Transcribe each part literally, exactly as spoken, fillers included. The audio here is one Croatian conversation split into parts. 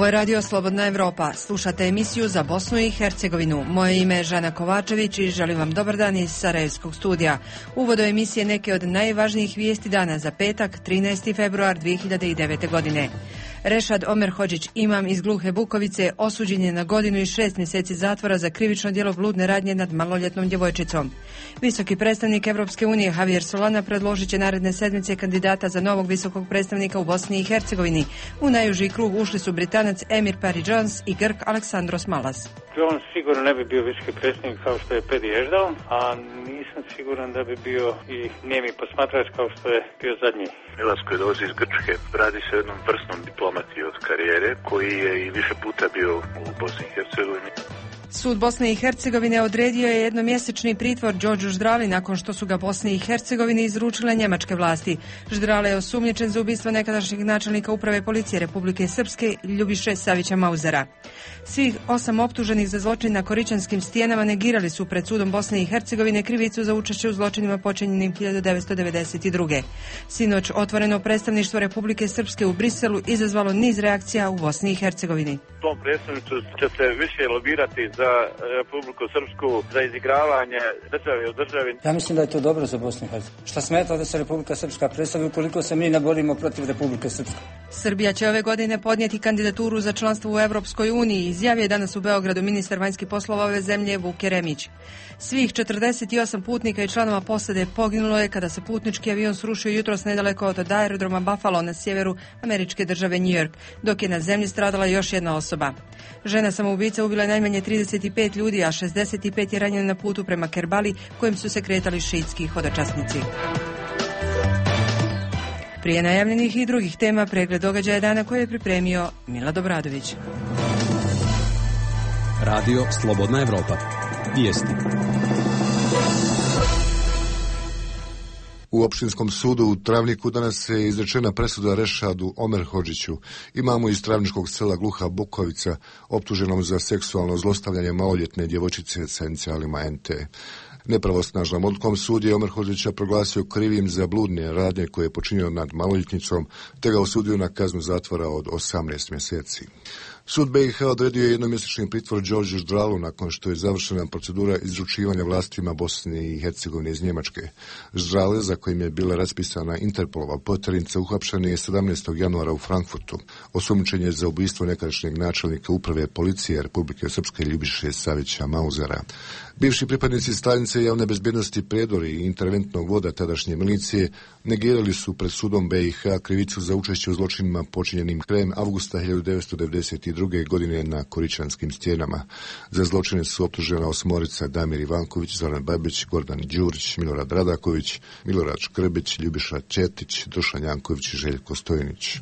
Ovo je Radio Slobodna Evropa. Slušate emisiju za Bosnu i Hercegovinu. Moje ime je Žana Kovačević i želim vam dobar dan iz Sarajevskog studija. Uvod do emisije neke od najvažnijih vijesti dana za petak, trinaesti februar dvije hiljade devete. godine. Rešad Omer Hodžić, imam iz Gluhe Bukovice, osuđen je na godinu i šest mjeseci zatvora za krivično djelo bludne radnje nad maloljetnom djevojčicom. Visoki predstavnik Evropske unije Javier Solana predložit će naredne sedmice kandidata za novog visokog predstavnika u Bosni i Hercegovini. U najuži krug ušli su Britanac Emir Pari-Jones i Grk Aleksandros Malas. On sigurno ne bi bio visoki predsjednik kao što je Pedi Ešdal, a nisam siguran da bi bio i nijemi posmatrač kao što je bio zadnji. Milas koji dolazi iz Grčke, radi se o jednom vrsnom diplomati od karijere koji je i više puta bio u Bosni i Hercegovini. Sud Bosne i Hercegovine odredio je jednomjesečni pritvor Đorđu Ždrali nakon što su ga Bosni i Hercegovini izručile njemačke vlasti. Ždrale je osumnjičen za ubistvo nekadašnjeg načelnika uprave policije Republike Srpske Ljubiše Savića Mauzera. Svih osam optuženih za zločin na Koričanskim stijenama negirali su pred sudom Bosne i Hercegovine krivicu za učešće u zločinima počinjenim hiljadu devetsto devedeset druge. Sinoć otvoreno predstavništvo Republike Srpske u Briselu izazvalo niz reakcija u Bosni i Hercegovini. Tom predstavništvu će se više lobirati za Republiku Srpsku, za izigravanje države u državi. Ja mislim da je to dobro za Bosnu i Hercegovinu. Šta smeta da se Republika Srpska predstavi ukoliko se mi ne borimo protiv Republike Srpske? Srbija će ove godine podnijeti kandidaturu za članstvo u Evropskoj uniji, izjavio je danas u Beogradu ministar vanjskih poslova ove zemlje Vuk Jeremić. Svih četrdeset osam putnika i članova posade poginulo je kada se putnički avion srušio jutros nedaleko od aerodroma Buffalo na sjeveru američke države New York, dok je na zemlji stradala još jedna osoba. Žena samoubica ubila najmanje trideset pet ljudi, a šezdeset pet je ranjeno na putu prema Kerbali, kojim su se kretali šiitski hodočasnici. Prije najavljenih i drugih tema pregled događaja dana koje je pripremio Milad Obradović. Radio Slobodna Evropa. Vijesti. U Opštinskom sudu u Travniku danas je izrečena presuda Rešadu Omer Hodžiću, imamu iz travničkog sela Gluha Bukovica, optuženom za seksualno zlostavljanje maloljetne djevojčice sa inicijalima en te. Nepravosnažnom odlukom sud je Omer Hodžića proglasio krivim za bludne radnje koje je počinio nad maloljetnicom, te ga osudio na kaznu zatvora od osamnaest mjeseci. Sud be i ha odredio je jednomjesečni pritvor Đorđu Ždralu nakon što je završena procedura izručivanja vlastima Bosne i Hercegovine iz Njemačke. Ždrale, za kojim je bila raspisana Interpolova poternica, uhapšen je sedamnaestog januara u Frankfurtu. Osumnjičen je za ubojstvo nekadašnjeg načelnika uprave policije Republike Srpske Ljubiše Savića Mauzera. Bivši pripadnici Stanice javne bezbjednosti Predori i interventnog voda tadašnje milicije negirali su pred sudom be i ha krivicu za učešće u zločinima počinjenim krajem avgusta hiljadu devetsto devedeset druge. godine na Koričanskim stijenama. Za zločine su optužena osmorica: Damir Ivanković, Zoran Babić, Gordan Đurić, Milorad Radaković, Milorad Škrbić, Ljubiša Četić, Dušan Janković i Željko Stojnić.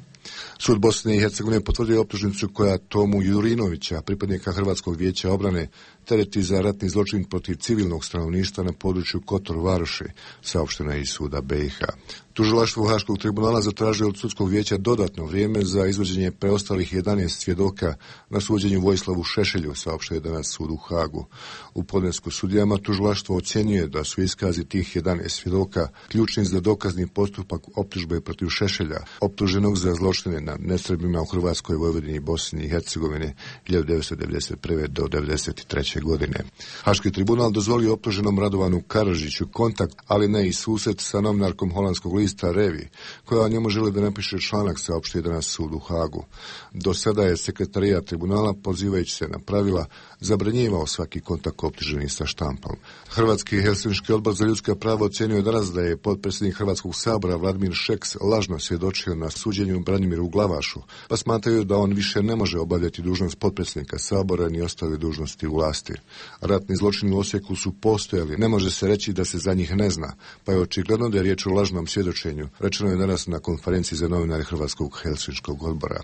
Sud Bosne i Hercegovine potvrdio optužnicu koja Tomu Jurinovića, pripadnika Hrvatskog vijeća obrane, tereti za ratni zločin protiv civilnog stanovništva na području Kotor Varoši, saopšteno je iz suda be i ha. Tužilaštvo Haškog tribunala zatražilo od sudskog vijeća dodatno vrijeme za izvođenje preostalih jedanaest svjedoka na suđenju Vojislavu Šešelju, saopštio je danas sud u Hagu. U podnesku sudijama tužilaštvo ocjenjuje da su iskazi tih jedanaest svjedoka ključni za dokazni postupak optužbe protiv Šešelja, optuženog za zločine nad nesrbima u Hrvatskoj, Vojvodini i Bosni i Hercegovini hiljadu devetsto devedeset prve. do devedeset treće. godine. Haški tribunal dozvolio optuženom Radovanu Karadžiću kontakt, ali ne i susret sa novinarkom holandskog lista Revi, koja o njemu želi da napiše članak, saopštio danas sud u Hagu. Do sada je sekretarijat tribunala, pozivajući se na pravila, zabranjivao svaki kontakt optuženih sa štampom. Hrvatski Helsinški odbor za ljudska prava ocjenio danas da je potpredsjednik Hrvatskog sabora Vladimir Šeks lažno svjedočio na suđenju Branimiru Glavašu, pa smatraju da on više ne može obavljati dužnost potpredsjednika sabora ni ostale dužnosti u vlasti. Ratni zločini u Osijeku su postojali, ne može se reći da se za njih ne zna, pa je očigledno da je riječ o lažnom svjedočenju, rečeno je danas na konferenciji za novinare Hrvatskog Helsinškog odbora.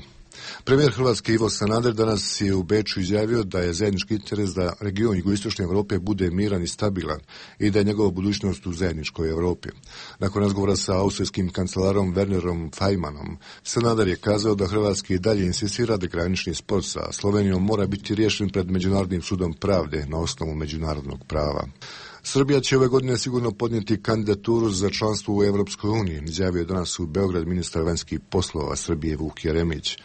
Premijer Hrvatske Ivo Sanader danas je u Beču izjavio da je zajednički interes da region jugoistočne Europe bude miran i stabilan i da je njegova budućnost u zajedničkoj Europi. Nakon razgovora sa austrijskim kancelarom Wernerom Faymanom, Sanader je kazao da Hrvatski i dalje insistira da granični spor sa Slovenijom mora biti riješen pred Međunarodnim sudom pravde na osnovu međunarodnog prava. Srbija će ove godine sigurno podnijeti kandidaturu za članstvo u Evropskoj uniji, izjavio je danas u Beograd ministar vanjskih poslova Srbije Vuk Jeremić.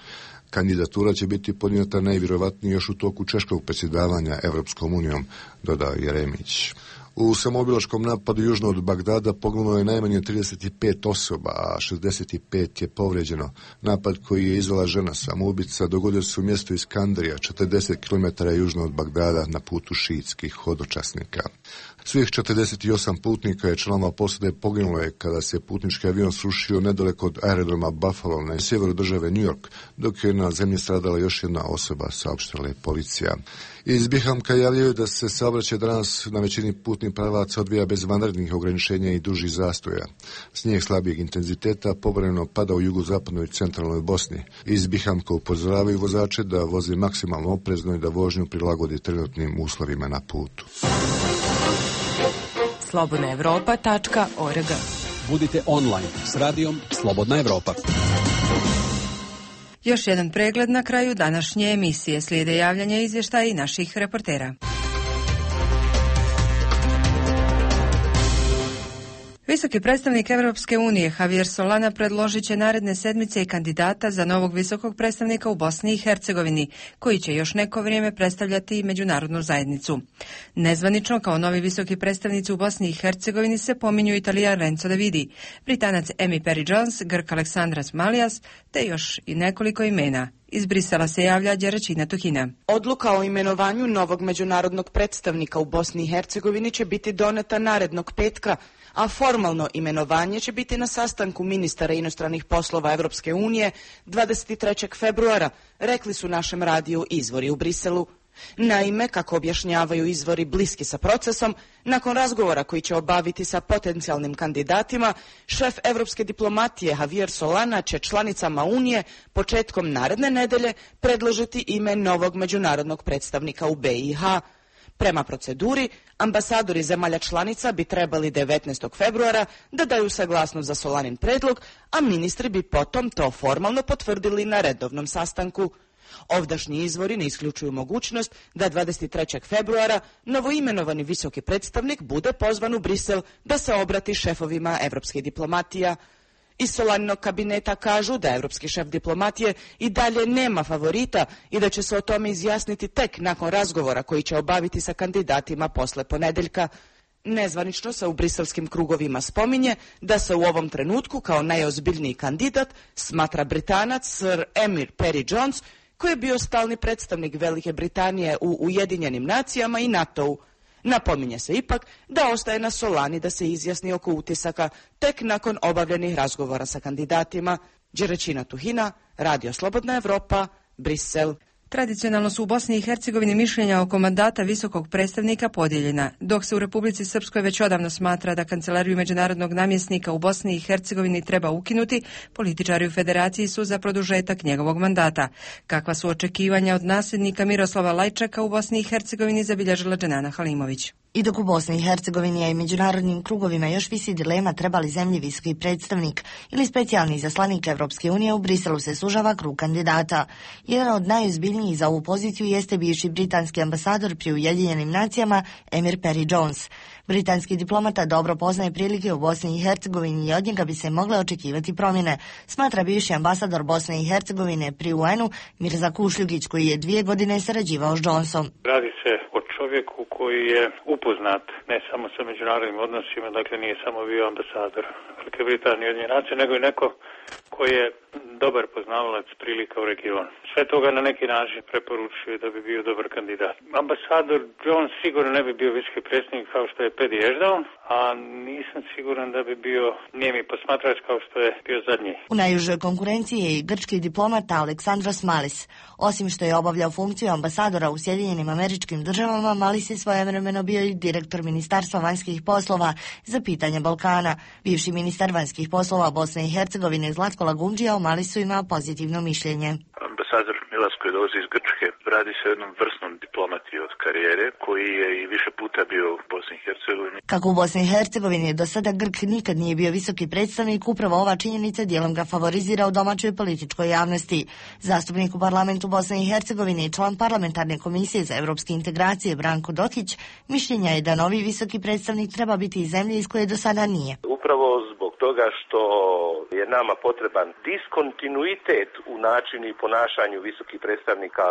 Kandidatura će biti podnijeta najvjerovatnije još u toku češkog predsjedavanja Evropskom unijom, dodao Jeremić. U samoobilačkom napadu južno od Bagdada poginulo je najmanje trideset pet osoba, a šezdeset pet je povrijeđeno. Napad koji je izvela žena samoubica dogodio se u mjestu Iskandarija, četrdeset kilometara južno od Bagdada, na putu šiitskih hodočasnika. Svih četrdeset osam putnika je članova posade poginulo je kada se putnički avion srušio nedaleko od aerodroma Buffalo na sjeveru države New York, dok je na zemlji stradala još jedna osoba, saopštila je policija. Iz Bihamka javljaju da se saobraćaj danas na većini putnih pravaca odvija bez vanrednih ograničenja i dužih zastoja. Snijeg slabijeg intenziteta povremeno pada u jugozapadnoj i centralnoj Bosni. Iz Bihamka upozoravaju vozače da voze maksimalno oprezno i da vožnju prilagodi trenutnim uslovima na putu. slobodna evropa tačka org. Budite online s radijom Slobodna Evropa. Još jedan pregled na kraju današnje emisije. Slijede javljanja i izvještaji naših reportera. Visoki predstavnik Evropske unije Javier Solana predložit će naredne sedmice i kandidata za novog visokog predstavnika u Bosni i Hercegovini, koji će još neko vrijeme predstavljati međunarodnu zajednicu. Nezvanično kao novi visoki predstavnici u Bosni i Hercegovini se pominju Italijan Renzo Davidi, Britanac Emi Perry Jones, Grk Aleksandras Malijas, te još i nekoliko imena. Iz Brisela se javlja Đeračina Tuhina. Odluka o imenovanju novog međunarodnog predstavnika u Bosni i Hercegovini će biti doneta narednog petka, a formalno imenovanje će biti na sastanku ministara inostranih poslova Evropske unije dvadeset trećeg februara, rekli su našem radiju izvori u Briselu. Naime, kako objašnjavaju izvori bliski sa procesom, nakon razgovora koji će obaviti sa potencijalnim kandidatima, šef evropske diplomatije Javier Solana će članicama Unije početkom naredne nedelje predložiti ime novog međunarodnog predstavnika u B i H. Prema proceduri, ambasadori zemalja članica bi trebali devetnaestog februara da daju saglasnost za Solanin predlog, a ministri bi potom to formalno potvrdili na redovnom sastanku. Ovdašnji izvori ne isključuju mogućnost da dvadeset trećeg februara novoimenovani visoki predstavnik bude pozvan u Brisel da se obrati šefovima evropske diplomatija. Iz Solaninog kabineta kažu da evropski šef diplomatije i dalje nema favorita i da će se o tome izjasniti tek nakon razgovora koji će obaviti sa kandidatima posle ponedeljka. Nezvanično se u briselskim krugovima spominje da se u ovom trenutku kao najozbiljniji kandidat smatra Britanac Sir Emi Perry Jones, koji je bio stalni predstavnik Velike Britanije u Ujedinjenim nacijama i NATO-u. Napominje se ipak da ostaje na Solani da se izjasni oko utisaka tek nakon obavljenih razgovora sa kandidatima. Đeračina Tuhina, Radio Slobodna Evropa, Brisel. Tradicionalno su u Bosni i Hercegovini mišljenja oko mandata visokog predstavnika podijeljena, dok se u Republici Srpskoj već odavno smatra da kancelariju međunarodnog namjesnika u Bosni i Hercegovini treba ukinuti, političari u federaciji su za produžetak njegovog mandata. Kakva su očekivanja od nasljednika Miroslava Lajčaka u Bosni i Hercegovini, zabilježila Dženana Halimović. I dok u Bosni i Hercegovini i međunarodnim krugovima još visi dilema treba li zemlji visoki predstavnik ili specijalni izaslanik Evropske unije, u Briselu se sužava krug kandidata. Jedan od najozbiljnijih za ovu poziciju jeste bivši britanski ambasador pri Ujedinjenim nacijama Emir Perry Jones. Britanski diplomata dobro poznaje prilike u Bosni i Hercegovini i od njega bi se mogle očekivati promjene, smatra bivši ambasador Bosne i Hercegovine pri U N-u Mirza Kušljugić, koji je dvije godine sarađivao s Jonesom. Radi se o čovjeku koji je upoznat ne samo sa međunarodnim odnosima, dakle nije samo bio ambasador Velike Britanije i Ujedinjenih nacija, nego i neko koji je dobar poznavalac prilika u regionu. Sve toga na neki način preporučuje da bi bio dobar kandidat. Ambasador Jones sigurno ne bi bio visoki predstavnik kao što je Pedi Ešdal, a nisam siguran da bi bio nijemi posmatrač kao što je bio zadnji. U najužoj konkurenciji je i grčki diplomata Aleksandras Malis. Osim što je obavljao funkciju ambasadora u Sjedinjenim Američkim Državama, Malis je svojevremeno bio i direktor Ministarstva vanjskih poslova za pitanje Balkana. Bivši ministar vanjskih poslova Bosne i Hercegovine Zlatko Lagumdžija o Malisu ima pozitivno mišljenje. Ambasador Milas koji dolazi iz Grčke radi se o jednom vrsnom diplomati od karijere koji je i više puta bio u Bosni i Hercegovini. Kako u Bosni i Hercegovini do sada Grk nikad nije bio visoki predstavnik, upravo ova činjenica dijelom ga favorizira u domaćoj političkoj javnosti. Zastupnik u parlamentu Bosne i Hercegovine i član parlamentarne komisije za evropske integracije Branko Dokić mišljenja je da novi visoki predstavnik treba biti iz zemlje iz koje do sada nije. Upravo zbog toga što je nama potreban diskontinuitet u načinu i ponašanju visokih predstavnika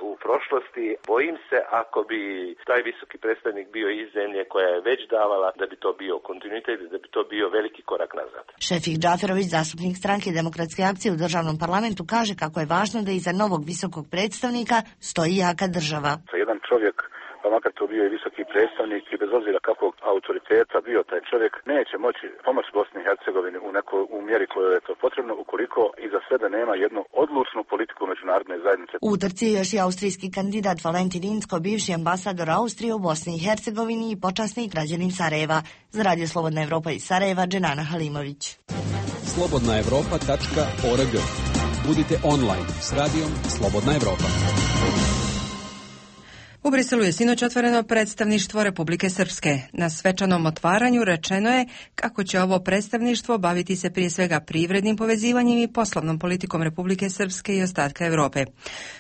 u prošlosti. Bojim se ako bi taj visoki predstavnik bio iz zemlje koja je već davala, da bi to bio kontinuitet, da bi to bio veliki korak nazad. Šefik Džaferović, zastupnik stranke Demokratske akcije u državnom parlamentu, kaže kako je važno da iza novog visokog predstavnika stoji jaka država. Jedan čovjek, pa makar to bio i visoki predstavnik i bez obzira kakvog autoriteta bio taj čovjek, neće moći pomoći Bosni i Hercegovini u nekoj u mjeri kojoj je to potrebno ukoliko iza sebe nema jednu odlučnu politiku međunarodne zajednice. U utrci je još i austrijski kandidat Valentin Incko, bivši ambasador Austrije u Bosni i Hercegovini i počasni građanin Sarajeva. Za Radio Slobodna Evropa iz Sarajeva, Dženana Halimović. slobodna evropa tačka org. Budite online s radijom Slobodna Evropa. U Briselu je sinoć otvoreno predstavništvo Republike Srpske. Na svečanom otvaranju rečeno je kako će ovo predstavništvo baviti se prije svega privrednim povezivanjem i poslovnom politikom Republike Srpske i ostatka Europe.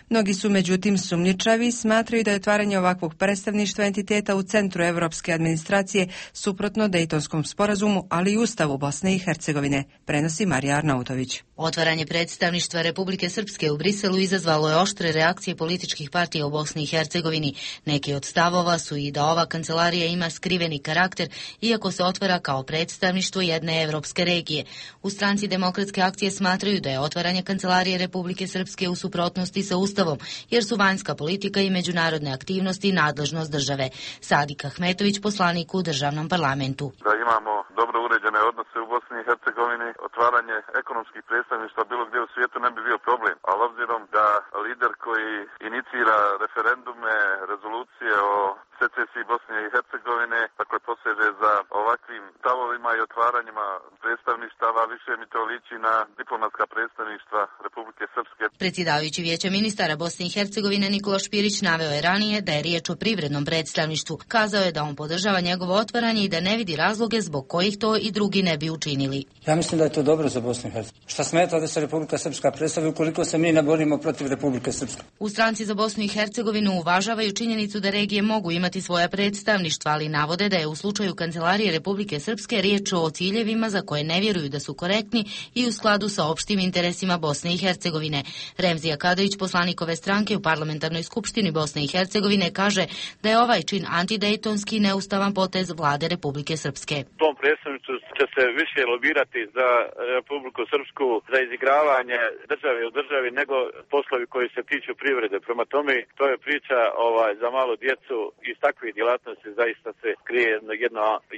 Mnogi su međutim sumnjičavi i smatraju da je otvaranje ovakvog predstavništva entiteta u centru evropske administracije suprotno Dejtonskom sporazumu, ali i Ustavu Bosne i Hercegovine, prenosi Marija Arnautović. Otvaranje predstavništva Republike Srpske u Briselu izazvalo je oštre reakcije političkih partija u Bosni i Hercegovini. Neki od stavova su i da ova kancelarija ima skriveni karakter, iako se otvara kao predstavništvo jedne evropske regije. U stranci Demokratske akcije smatraju da je otvaranje kancelarije Republike Srpske u suprotnosti sa Ustavom, jer su vanjska politika i međunarodne aktivnosti nadležnost države. Sadik Ahmetović, poslanik u državnom parlamentu. Da imamo dobro uređene odnose u Bosni i Hercegovini, otvaranje ekonomskih predstavništva bilo gdje u svijetu ne bi bio problem, ali obzirom da lider koji inicira referendume, rezolucije o secesiji Bosne i Hercegovine, dakle poseže za ovakvim stavovima i otvaranjima predstavništava, više mi to liči na diplomatska predstavništva Republike Srpske. Predsjedavajući Vijeća ministara Bosne i Hercegovine Nikola Špirić naveo je ranije da je riječ o privrednom predstavništvu. Kazao je da on podržava njegovo otvaranje i da ne vidi razloge zbog kojih to i drugi ne bi učinili. Ja mislim da je to dobro za Bosnu i Hercegovinu. Šta smeta da se Republika Srpska predstavi ukoliko se mi ne borimo protiv Republike Srpske? U stranci za Bosnu i Hercegovinu uvažavaju činjenicu da regije mogu imati svoja predstavništva, ali navode da je u slučaju Kancelarije Republike Srpske riječ o ciljevima za koje ne vjeruju da su korektni i u skladu sa opštim interesima Bosne i Hercegovine. Remzija Kadović, poslanik ove stranke u Parlamentarnoj skupštini Bosne i Hercegovine, kaže da je ovaj čin antidejtonski neustavan potez vlade Republike Srpske. Tom predstavništvu će se više lobirati za Republiku Srpsku, za izigravanje države u državi nego poslovi koji se tiču privrede. Prema tome, to je priča ovaj, za malu djecu. Iz takvih djelatnosti zaista se krije jedno,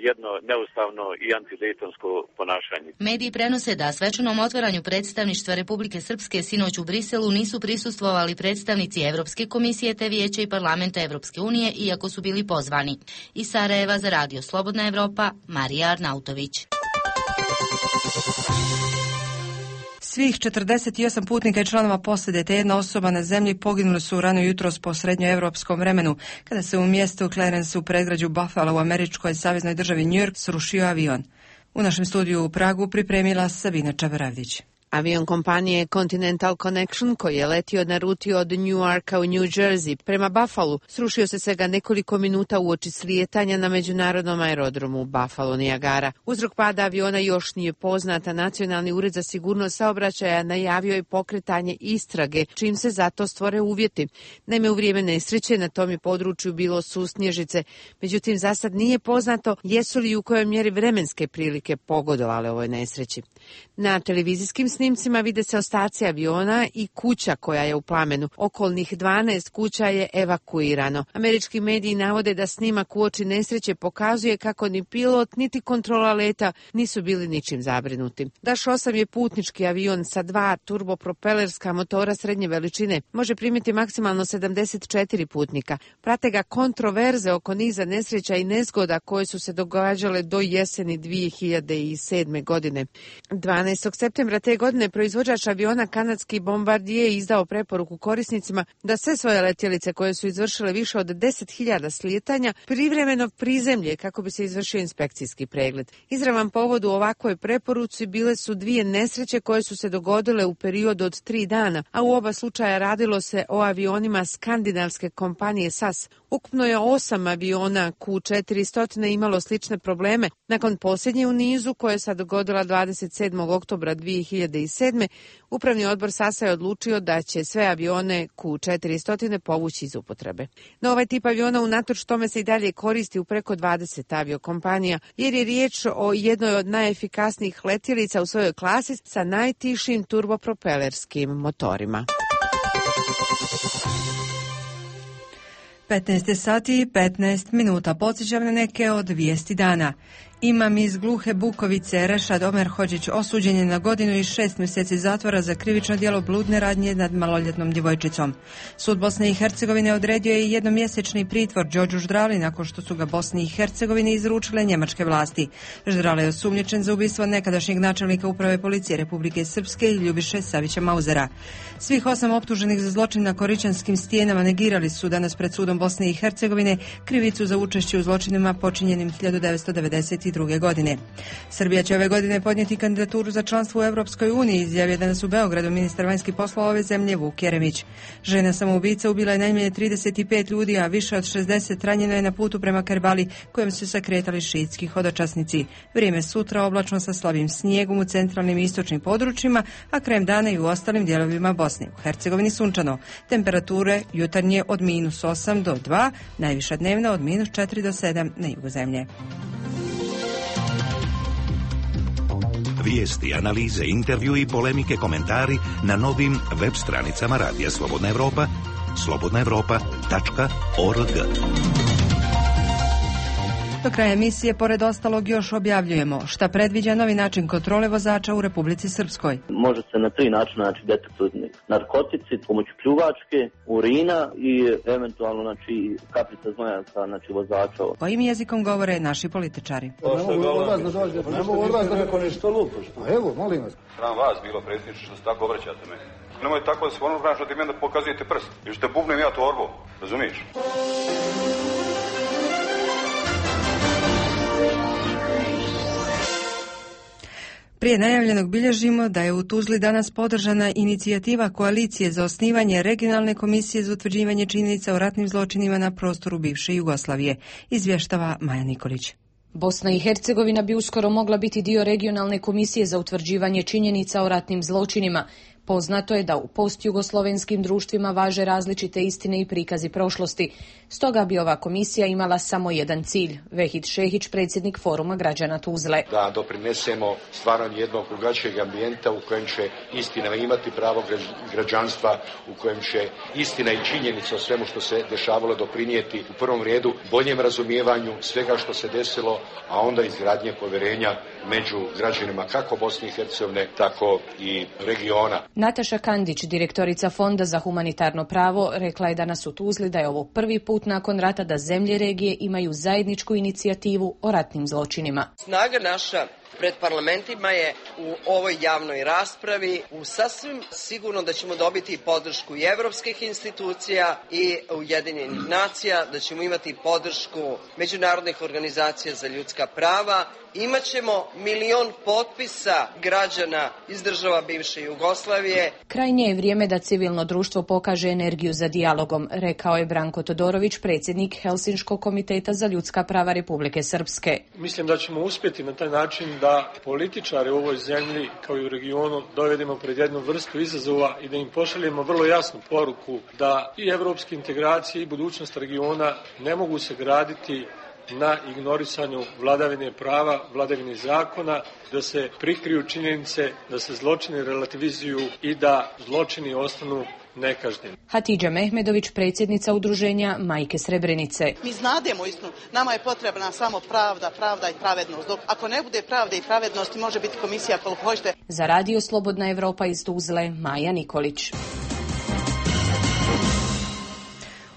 jedno neustavno i antidejtonsko ponašanje. Mediji prenose da svečanom otvaranju predstavništva Republike Srpske sinoć u Briselu nisu prisustvovali predstavnici Evropske komisije te Vijeća i Parlamenta Evropske unije, iako su bili pozvani. Iz Sarajeva za Radio Slobodna Evropa, Marija Arnautović. Svih četrdeset osam putnika i članova posade te jedna osoba na zemlji poginuli su rano jutros po srednjoevropskom vremenu, kada se u mjestu Clarence u predgrađu Buffalo u američkoj saveznoj državi New York srušio avion. U našem studiju u Pragu pripremila Sabina Čabaravdić. Avion kompanije Continental Connection, koji je letio na ruti od Newarka u New Jersey prema Buffalo, srušio se svega nekoliko minuta uoči slijetanja na međunarodnom aerodromu Buffalo Niagara. Uzrok pada aviona još nije poznata. Nacionalni ured za sigurnost saobraćaja najavio je pokretanje istrage, čim se zato stvore uvjeti. Naime, u vrijeme nesreće na tom je području bilo susnježice. Međutim, za sad nije poznato jesu li u kojoj mjeri vremenske prilike pogodovale ovoj nesreći. Na televizijskim snimcima vide se ostaci aviona i kuća koja je u plamenu. Okolnih dvanaest kuća je evakuirano. Američki mediji navode da snimak uoči nesreće pokazuje kako ni pilot niti kontrola leta nisu bili ničim zabrinuti. Dash osam je putnički avion sa dva turbopropelerska motora srednje veličine. Može primiti maksimalno sedamdeset četiri putnika. Prate ga kontroverze oko niza nesreća i nezgoda koje su se događale do jeseni dvije hiljade sedme. godine. dvanaestog septembra te godine godine proizvođač aviona kanadski Bombardier izdao preporuku korisnicima da sve svoje letjelice koje su izvršile više od deset hiljada slijetanja privremeno prizemlje kako bi se izvršio inspekcijski pregled. Izravan povod u ovakvoj preporuci bile su dvije nesreće koje su se dogodile u periodu od tri dana, a u oba slučaja radilo se o avionima skandinavske kompanije S A S. Ukupno je osam aviona Q četiristo imalo slične probleme. Nakon posljednje u nizu, koje se dogodila dvadeset sedmog oktobra dvije hiljade sedme. Upravni odbor S A S-a je odlučio da će sve avione Q četiristo povući iz upotrebe. No ovaj tip aviona unatoč tome se i dalje koristi u preko dvadeset aviokompanija, jer je riječ o jednoj od najefikasnijih letjelica u svojoj klasi sa najtišim turbopropelerskim motorima. petnaest sati i petnaest minuta. Podsjećam na neke od vijesti dana. Imam iz Gluhe Bukovice Rešad Omer Hodžić osuđen je na godinu i šest mjeseci zatvora za krivično djelo bludne radnje nad maloljetnom djevojčicom. Sud Bosne i Hercegovine odredio je jednomjesečni pritvor Đorđu Ždrali nakon što su ga Bosni i Hercegovini izručile njemačke vlasti. Ždrali je osumnjičen za ubistvo nekadašnjeg načelnika uprave policije Republike Srpske Ljubiše Savića Mauzera. Svih osam optuženih za zločin na Koričanskim stijenama negirali su danas pred sudom Bosne i Hercegovine krivicu za učešće u zločinima počinjenim hiljadu devetsto devedeset druge. godine. Srbija će ove godine podnijeti kandidaturu za članstvo u Europskoj uniji, izjavio danas u Beogradu ministar vanjskih poslova ove zemlje Vuk Jeremić. Žena samoubica ubila je najmanje trideset pet ljudi, a više od šezdeset ranjeno je na putu prema Kerbali, kojem su se kretali šiitski hodočasnici. Vrijeme sutra oblačno sa slabim snijegom u centralnim i istočnim područjima, a krajem dana i u ostalim dijelovima Bosne. U Hercegovini sunčano. Temperature jutarnje od minus osam do dva, najviša dnevna od minus četiri do sedam na jugu zemlje. Vijesti, analize, intervju i polemike, komentari na novim web stranicama Radija Slobodna Evropa, slobodna evropa tačka org. Do kraja emisije, pored ostalog, još objavljujemo šta predviđa novi način kontrole vozača u Republici Srpskoj. Može se na tri načina znači, detektovati narkotici, pomoću pljuvačke, urina i eventualno znači, kapljica znojanca znači, vozača. Kojim jezikom govore naši političari? Ne mogu od vas da dođe, ne mogu od vas da neko nešto lupo. Evo, molim vas. Sram vas bilo, predsjedniče, što se tako obraćate meni. Nemoj tako da se ono što ti meni da pokazujete prst. Ili što bubnem ja torbu, razumiješ? Prije najavljenog bilježimo da je u Tuzli danas podržana inicijativa koalicije za osnivanje regionalne komisije za utvrđivanje činjenica o ratnim zločinima na prostoru bivše Jugoslavije, izvještava Maja Nikolić. Bosna i Hercegovina bi uskoro mogla biti dio regionalne komisije za utvrđivanje činjenica o ratnim zločinima. Poznato je da u postjugoslovenskim društvima važe različite istine i prikazi prošlosti. Stoga bi ova komisija imala samo jedan cilj. Vehid Šehić, predsjednik Foruma građana Tuzle. Da doprinesemo stvaranju jednog drugačijeg ambijenta u kojem će istina imati pravo građanstva, u kojem će istina i činjenica o svemu što se dešavalo doprinijeti u prvom redu boljem razumijevanju svega što se desilo, a onda izgradnje povjerenja među građanima kako Bosne i Hercegovine, tako i regiona. Nataša Kandić, direktorica Fonda za humanitarno pravo, rekla je danas u Tuzli da je ovo prvi put nakon rata da zemlje regije imaju zajedničku inicijativu o ratnim zločinima. Snaga naša pred parlamentima je u ovoj javnoj raspravi u sasvim sigurno da ćemo dobiti podršku i evropskih institucija i Ujedinjenih nacija, da ćemo imati podršku međunarodnih organizacija za ljudska prava. Imaćemo milion potpisa građana iz država bivše Jugoslavije. Krajnje je vrijeme da civilno društvo pokaže energiju za dijalogom, rekao je Branko Todorović, predsjednik Helsinškog komiteta za ljudska prava Republike Srpske. Mislim da ćemo uspjeti na taj način da političare u ovoj zemlji kao i u regionu dovedemo pred jednu vrstu izazova i da im pošaljemo vrlo jasnu poruku da i evropske integracije i budućnost regiona ne mogu se graditi na ignorisanju vladavine prava, vladavine zakona, da se prikriju činjenice, da se zločini relativizuju i da zločini ostanu nekažnjeni. Hatidža Mehmedović, predsjednica udruženja Majke Srebrenice. Mi znademo istinu, nama je potrebna samo pravda, pravda i pravednost. Dok ako ne bude pravde i pravednosti, može biti komisija koliko hoćete. Za Radio Slobodna Evropa iz Tuzle, Maja Nikolić.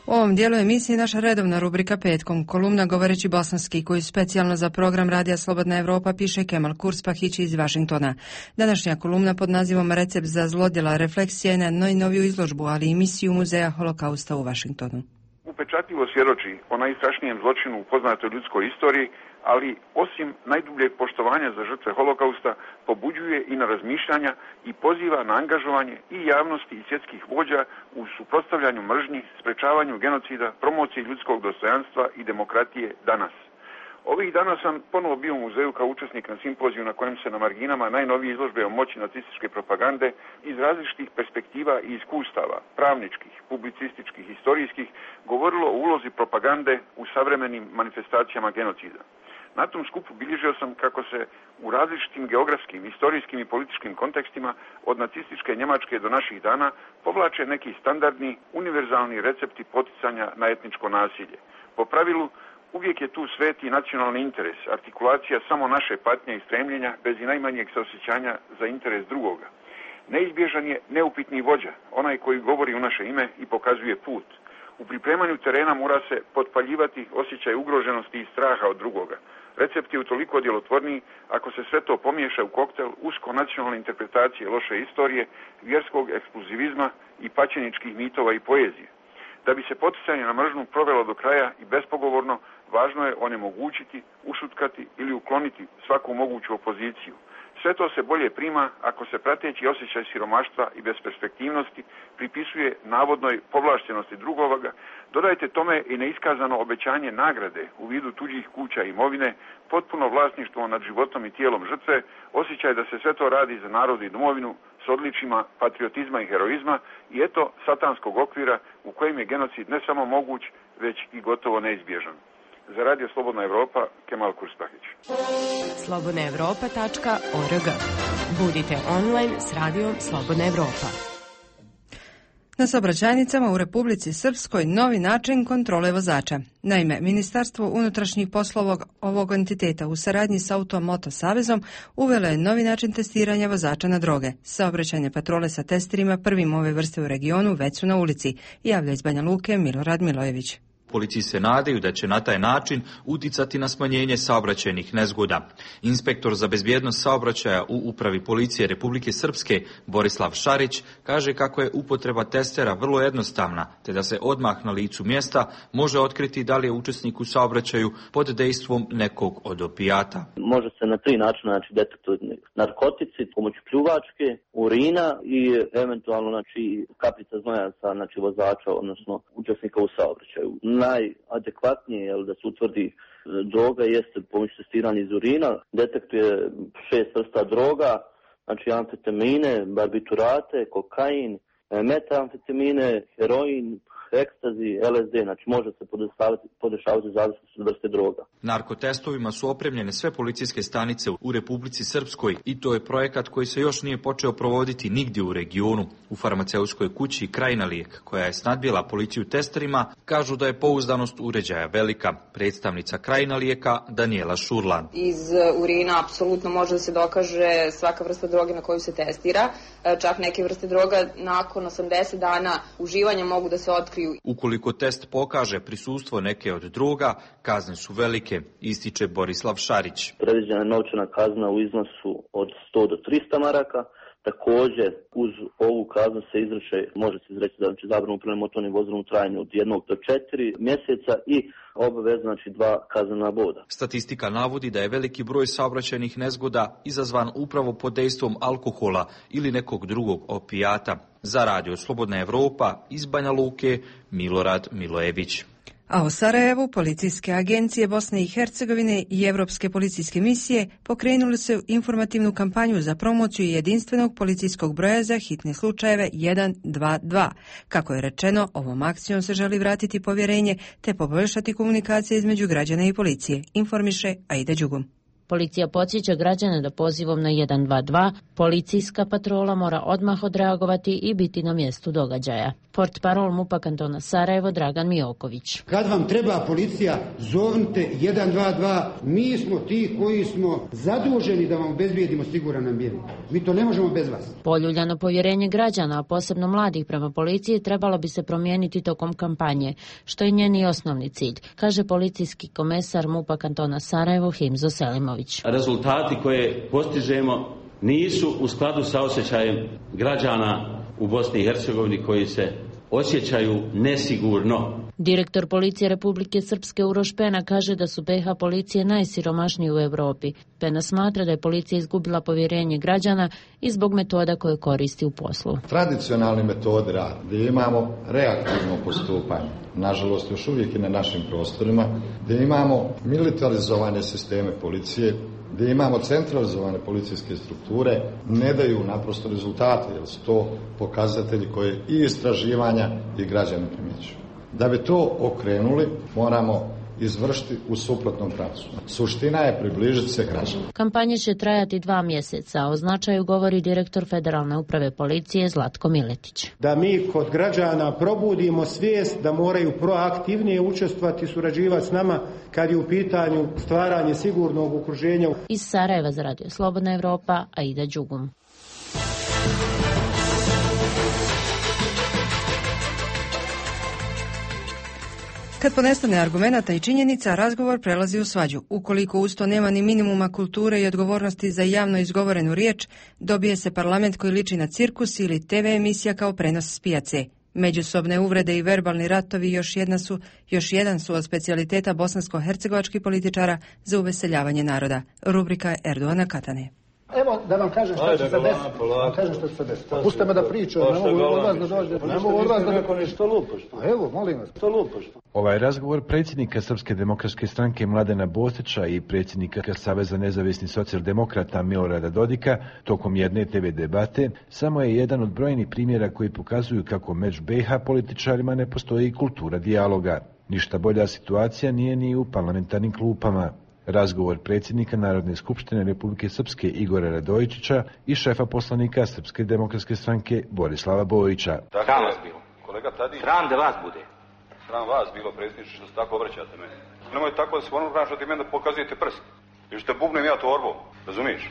U ovom dijelu emisije naša redovna rubrika Petkom, kolumna Govoreći bosanski, koju specijalno za program Radija Slobodna Evropa piše Kemal Kurspahić iz Vašingtona. Današnja kolumna pod nazivom Recept za zlodjela refleksija je na najnoviju izložbu, ali i misiju Muzeja Holokausta u Vašingtonu. Upečatljivo svjedoči o najstrašnijem zločinu u poznatoj ljudskoj istoriji, ali osim najdubljeg poštovanja za žrtve Holokausta, pobuđuje i na razmišljanja i poziva na angažovanje i javnosti i svjetskih vođa u suprotstavljanju mržnji, sprečavanju genocida, promociji ljudskog dostojanstva i demokratije danas. Ovih dana sam ponovo bio u muzeju kao učesnik na simpoziju na kojem se na marginama najnovije izložbe o moći nacističke propagande iz različitih perspektiva i iskustava, pravničkih, publicističkih, historijskih, govorilo o ulozi propagande u savremenim manifestacijama genocida. Na tom skupu bilježio sam kako se u različitim geografskim, historijskim i političkim kontekstima od nacističke Njemačke do naših dana povlače neki standardni, univerzalni recepti poticanja na etničko nasilje. Po pravilu, uvijek je tu sveti nacionalni interes, artikulacija samo naše patnje i stremljenja bez i najmanjeg saosjećanja za interes drugoga. Neizbježan je neupitni vođa, onaj koji govori u naše ime i pokazuje put. U pripremanju terena mora se potpaljivati osjećaj ugroženosti i straha od drugoga. Recept je utoliko djelotvorniji ako se sve to pomiješa u koktel usko nacionalne interpretacije loše istorije, vjerskog ekskluzivizma i pačeničkih mitova i poezije. Da bi se poticanje na mržnju provelo do kraja i bespogovorno, važno je onemogućiti, ušutkati ili ukloniti svaku moguću opoziciju. Sve to se bolje prima ako se prateći osjećaj siromaštva i besperspektivnosti pripisuje navodnoj povlaštenosti drugoga. Dodajte tome i neiskazano obećanje nagrade u vidu tuđih kuća i imovine, potpuno vlasništvo nad životom i tijelom žrtve, osjećaj da se sve to radi za narod i domovinu s odličima patriotizma i heroizma i eto satanskog okvira u kojem je genocid ne samo moguć, već i gotovo neizbježan. Za Radio Slobodna Evropa, Kemal Kurspahić. slobodna evropa tačka org. Budite online s Radijom Slobodna Evropa. Na saobraćajnicama u Republici Srpskoj novi način kontrole vozača. Naime, Ministarstvo unutrašnjih poslova ovog entiteta u saradnji s Auto-Moto Savezom uvelo je novi način testiranja vozača na droge. Saobraćajne patrole sa testerima prvim ove vrste u regionu već su na ulici, javlja iz Banja Luke Milorad Milojević. Policiji se nadaju da će na taj način uticati na smanjenje saobraćajnih nezgoda. Inspektor za bezbjednost saobraćaja u Upravi policije Republike Srpske Borislav Šarić kaže kako je upotreba testera vrlo jednostavna, te da se odmah na licu mjesta može otkriti da li je učesnik u saobraćaju pod dejstvom nekog od opijata. Može se na tri načina znači, detektovati narkotici, pomoću pljuvačke, urina i eventualno znači, kapljica znoja sa znači, vozača, odnosno učesnika u saobraćaju. Najadekvatnije je da se utvrdi droga jeste pomoću testiranja iz urina, detektuje šest vrsta droga, znači amfetamine, barbiturate, kokain, metamfetamine, heroin, ekstazi, L S D, znači može se podešavati zavisnosti od vrste droga. Narkotestovima su opremljene sve policijske stanice u Republici Srpskoj i to je projekat koji se još nije počeo provoditi nigdje u regionu. U farmaceutskoj kući Krajina lijek, koja je snadbila policiju testerima, kažu da je pouzdanost uređaja velika. Predstavnica Krajina lijeka Daniela Šurlan. Iz urina apsolutno može da se dokaže svaka vrsta droge na koju se testira. Čak neke vrste droga nakon osamdeset dana uživanja mogu da se otkriju. Ukoliko test pokaže prisustvo neke od droga, kazne su velike, ističe Borislav Šarić. Predviđena je novčana kazna u iznosu od sto do trista maraka. Također, uz ovu kaznu se izreče, može se izreći da znači zabranu upravljanja motornim vozilom u trajanju od jednog do četiri mjeseca i obavezno znači dva kaznena boda. Statistika navodi da je veliki broj saobraćajnih nezgoda izazvan upravo pod dejstvom alkohola ili nekog drugog opijata. Za Radio Slobodna Evropa iz Banja Luke, Milorad Milojević. A u Sarajevu policijske agencije Bosne i Hercegovine i Europske policijske misije pokrenuli su informativnu kampanju za promociju jedinstvenog policijskog broja za hitne slučajeve jedan dva dva. Kako je rečeno, ovom akcijom se želi vratiti povjerenje te poboljšati komunikacije između građana i policije, informiše Aida Đugum. Policija podsjeća građane da pozivom na jedan dva dva policijska patrola mora odmah odreagovati i biti na mjestu događaja. Portparol MUP-a kantona Sarajevo Dragan Mijoković. Kad vam treba policija, zovnite jedan dva dva. Mi smo ti koji smo zaduženi da vam obezbijedimo siguran ambijent. Mi to ne možemo bez vas. Poljuljano povjerenje građana, a posebno mladih prema policiji, trebalo bi se promijeniti tokom kampanje, što je njeni osnovni cilj, kaže policijski komesar MUP-a kantona Sarajevo Himzo Selimović. Rezultati koje postižemo nisu u skladu sa osjećajem građana u Bosni i Hercegovini koji se osjećaju nesigurno. Direktor policije Republike Srpske Uroš Pena kaže da su be ha policije najsiromašnije u Europi. Pena smatra da je policija izgubila povjerenje građana i zbog metoda koje koristi u poslu. Tradicionalni metodi rada, gdje imamo reaktivno postupanje, nažalost još uvijek i na našim prostorima, gdje imamo militarizovane sisteme policije, gdje imamo centralizovane policijske strukture, ne daju naprosto rezultate, jer su to pokazatelji koje i istraživanja i građani primjećuju. Da bi to okrenuli, moramo izvršiti u suprotnom pravcu. Suština je približiti se građanima. Kampanja će trajati dva mjeseca, o značaju govori direktor Federalne uprave policije Zlatko Miletić. Da mi kod građana probudimo svijest da moraju proaktivnije učestvovati i surađivati s nama kad je u pitanju stvaranje sigurnog okruženja. Iz Sarajeva za Radio Slobodna Evropa, Aida Đugum. Kad ponestane argumenata i činjenica, razgovor prelazi u svađu. Ukoliko uz to nema ni minimuma kulture i odgovornosti za javno izgovorenu riječ, dobije se parlament koji liči na cirkus ili te ve emisija kao prenos s pijace. Međusobne uvrede i verbalni ratovi još, jedna su, još jedan su od specijaliteta bosansko-hercegovačkih političara za uveseljavanje naroda. Rubrika Erdoana Katane. Evo da vam kažem što će se desiti. Vam kažem što će se desiti. Pustite me da pričam, ne mogu od vas da dođe. Ne mogu od vas da neko nešto lupaš. Evo, molim vas, to lupaš. Ovaj razgovor predsjednika Srpske demokratske stranke Mladena Bostića i predsjednika Saveza nezavisnih socijaldemokrata Milorada Dodika tokom jedne te ve debate samo je jedan od brojnih primjera koji pokazuju kako među be ha političarima ne postoji kultura dijaloga. Ništa bolja situacija nije ni u parlamentarnim klupama. Razgovor predsjednika Narodne skupštine Republike Srpske Igora Radojičića i šefa poslanika Srpske demokratske stranke Borislava Bojića. Sram vas bilo. Kolega Tadić. Sram da vas bude. Sram vas bilo, predsjedniče, što se tako obraćate meni. Nemoj tako da se ono što ti meni da pokazujete prst. Ili što bubnem ja torbom, razumiješ?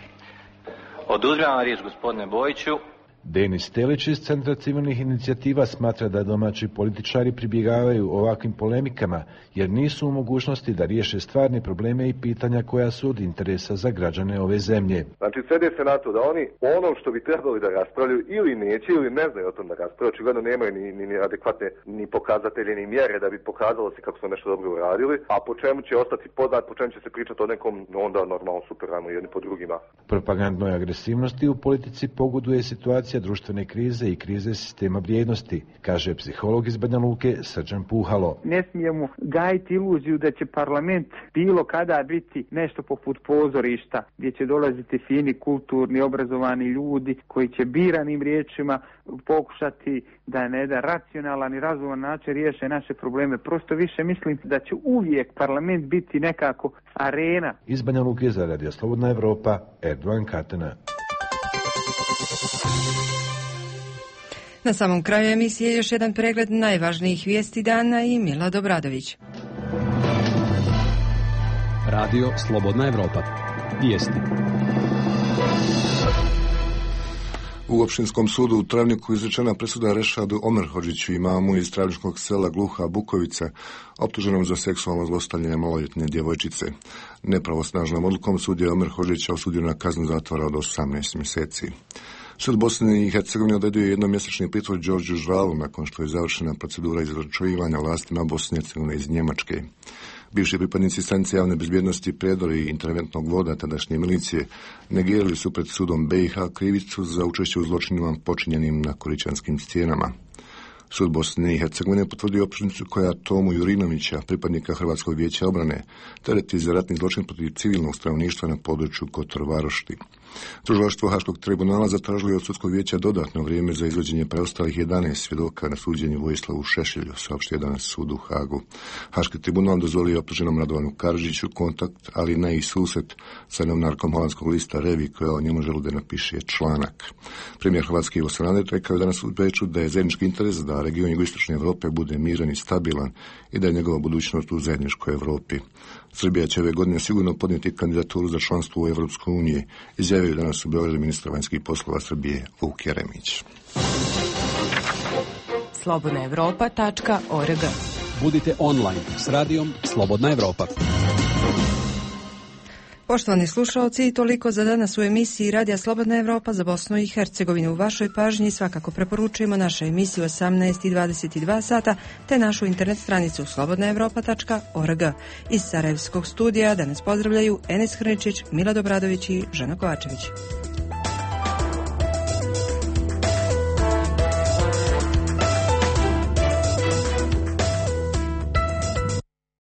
Oduzmem vam riječ, gospodine Bojiću. Denis Telić iz Centra civilnih inicijativa smatra da domaći političari pribjegavaju ovakvim polemikama jer nisu u mogućnosti da riješe stvarne probleme i pitanja koja su od interesa za građane ove zemlje. Znači, svede se na to da oni ono što bi trebali da raspravljaju ili neće ili ne znaju o tom da raspravljaju, očigledno nemaju ni, ni, ni adekvatne ni pokazatelje ni mjere da bi pokazalo se kako su nešto dobro uradili, a po čemu će ostati poznat, po čemu će se pričati o nekom, onda normalno super, ajmo jedni po drugima. Propagandnoj agresivnosti u politici pogoduje situacija društvene krize i krize sistema vrijednosti, kaže psiholog iz Banja Luke Srđan Puhalo. Ne smijemo gajiti iluziju da će parlament bilo kada biti nešto poput pozorišta, gdje će dolaziti fini, kulturni, obrazovani ljudi koji će biranim riječima pokušati da na jedan racionalan i razuman način riješe naše probleme. Prosto više mislim da će uvijek parlament biti nekako arena. Iz Banja Luke za Radio Slobodna Evropa, Erdoan Katana. Na samom kraju emisije još jedan pregled najvažnijih vijesti dana i Milad Obradović. Radio Slobodna Evropa. Vijesti. U Opštinskom sudu u Travniku izrečena presuda Rešadu Omerhodžiću, imamu iz travničkog sela Gluha Bukovica, optuženom za seksualno zlostavljanje maloljetne djevojčice. Nepravosnažnom odlukom sud je Omerhodžića osudio na kaznu zatvora od osamnaest mjeseci. Sud Bosne i Hercegovine odredio jednomjesečni pritvor Đorđu Žvalu nakon što je završena procedura izručivanja vlastima Bosne i Hercegovine iz Njemačke. Bivši pripadnici stanice javne bezbjednosti Predor i interventnog voda tadašnje milicije negirali su pred sudom be i ha krivicu za učešće u zločinima počinjenim na Koričanskim stijenama. Sud Bosne i Hercegovine potvrdio optužnicu koja Tomu Jurinovića, pripadnika Hrvatskog vijeća obrane, tereti za ratni zločin protiv civilnog stanovništva na području Kotor Varošti. Tužilaštvo Haškog tribunala zatražilo od sudskog vijeća dodatno vrijeme za izvođenje preostalih jedanaest svjedoka na suđenju Vojislavu Šešelju, saopštio danas sud u Hagu. Haški tribunal dozvolio optuženom Radovanu Karadžiću kontakt, ali ne i susret sa novinarkom holandskog lista Revi, koja o njemu želi da napiše članak. Premijer Hrvatske Ivo Sanader rekao je danas u Beču da je zajednički interes da region jugoistočne Europe bude miran i stabilan i da je njegova budućnost u zajedničkoj Europi. Srbija će ove godine sigurno podnijeti kandidaturu za članstvo u Evropskoj uniji, izjavio danas u Beogradu ministar vanjskih poslova Srbije Vuk Jeremić. slobodna evropa tačka org. Budite online s radijom Slobodna Evropa. Poštovani slušalci, toliko za danas u emisiji Radija Slobodna Evropa za Bosnu i Hercegovinu. U vašoj pažnji svakako preporučujemo našu emisiju osamnaest i dvadeset dva sata te našu internet stranicu slobodna evropa tačka org. Iz Sarajevskog studija danas pozdravljaju Enes Hrničić, Milad Obradović i Žana Kovačević.